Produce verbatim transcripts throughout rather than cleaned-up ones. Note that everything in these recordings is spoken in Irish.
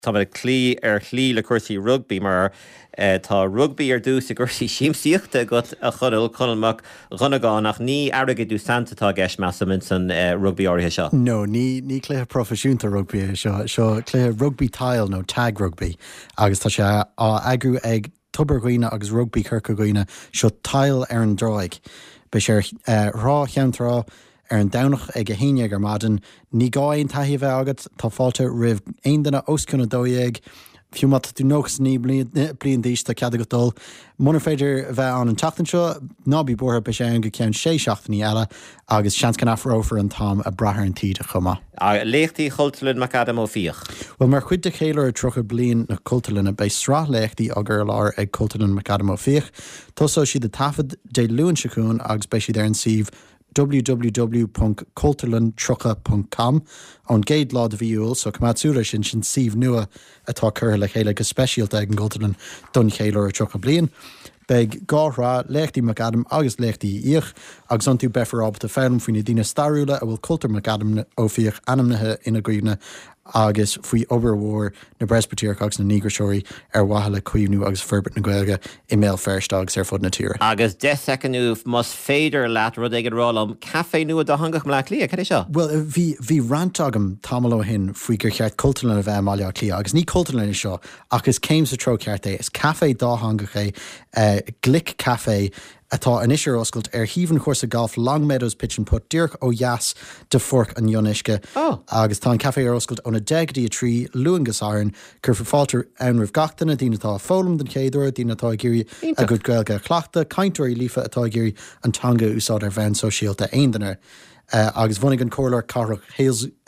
Tá ag cloí ar shlí le cúrsaí rugbaí mar tá rugbaí ar dtús i gcúrsaí siamsaíochta agat a Chonaill Conall Mac Dhonnagáin ach ní airgead saint atá i gceist measaim san rugbaí áirithe seo. No, ní ní cluiche proifisiúnta rugbaí é seo seo cluiche rugbaí tile nó tag rugby agus tá sé á eagrú ag Tobar Dhuibhne agus Rugbaí Chorca Dhuibhne seo tile ar an dtráigh. Beidh sé ar Thrá Cheann Trá ar an Domhnach ag a haon déag ar maidin, ní gá aon taithí a bheith agat, tá fáilte roimh aon duine os cionn a dó dhéag, fiú má tá tú nócha naoi bliain d'aois tá cead agat dul. Munar féidir a bheith ann an tseachtain seo, ná bí buartha, beidh sé ann go ceann sé seachtainí eile agus seans go n-athrófar an t-am ag brath ar an taoide chomh maith. Léachtaí Chultúrlann McAdam Ó Fiaich. Well mar chuid de cheiliúradh tríocha bliain na Cultúrlainne beidh sraith léachtaí á gcur i láthair ag Cultúrlann McAdam Ó Fiaich. Tosóidh siad ag taifead Dé Luain seo chugainn agus beidh siad ar an suíomh www ponc cultúrlann tríocha ponc com ón gcéad lá de mhí Iúil, so coimeád súil air sin, sin suíomh nua atá curtha le chéile go speisialta ag an gCultúrlann don cheiliúradh tríocha bliain. Beidh dhá shraith, Léachtaí McAdam agus Léachtaí Uí Fhiaich, agus iontu beifear ábalta foghlaim faoi na daoine stairiúla a bhfuil Cultúrlann McAdam Ó Fiaich ainmnithe ina gcuimhne agus faoi obair mhór na bPreispitéireach agus na ndíograiseoirí ar mhaithe le caomhnú agus forbairt na Gaeilge i mBéal Feirste agus ar fud na tíre. Agus deich soicind más féidir leat rud éigin a rá liom, caife nua dátheangach i mBleá Cliath, cad é seo? Bhuel, bhí, bhí rant agam tamall ó shin faoi gur cheart cultúrlann a bheith i mBaile Átha Cliath agus ní cultúrlann é seo ach is céim sa treo ceart é. Is caife dátheangach é, Glic Café, atá anois ar oscailt ar thaobh an chúrsa gailf Long Meadows Pitch and Putt díreach ó dheas de Pháirc an Fhionnuisce agus tá an caife ar oscailt óna deich go dtí a trí, Luan go Satharn. Cuirfear fáilte ann roimh gach duine, daoine atá ag foghlaim den chéad uair, daoine atá ag iarraidh a gcuid Gaeilge a chleachtadh, cainteoirí líofa atá ag iarraidh an teanga a úsáid ar bhonn sóisialta, aon duine. Agus bhunaigh an Comhairleoir Cathrach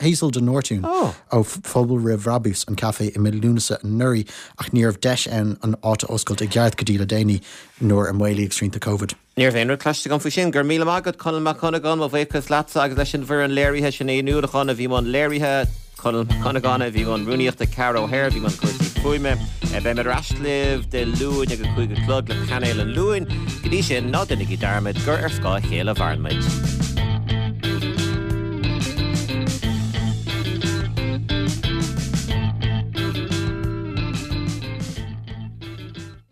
Hazel de Nortún ó Phobal Roimh Bhrabús an caife i mí Lúnasa anuraidh ach ní raibh deis ann an áit a oscailt i gceart go dtí le déanaí nuair a maolaíodh srianta Covid. Ní raibh aon rud cloiste agam faoi sin. Go raibh míle maith agat, Conall Mac Dhonnagáin, mo bhuíochas leatsa agus leis an bhfoireann léirithe, Sinéad Ní Uallacháin a bhí i mbun léirithe, Conall Mac Dhonnagáin a bhí i mbun rúnaíochta, Ceara O'Hare a bhí i mbun cúrsaí fuaime. Beimid ar ais libh Dé Luain ag a cúig a chlog le Painéal an Luain. Go dtí sin, ná déanaigí dearmad gur ar scáth a chéile a mhaireann muid.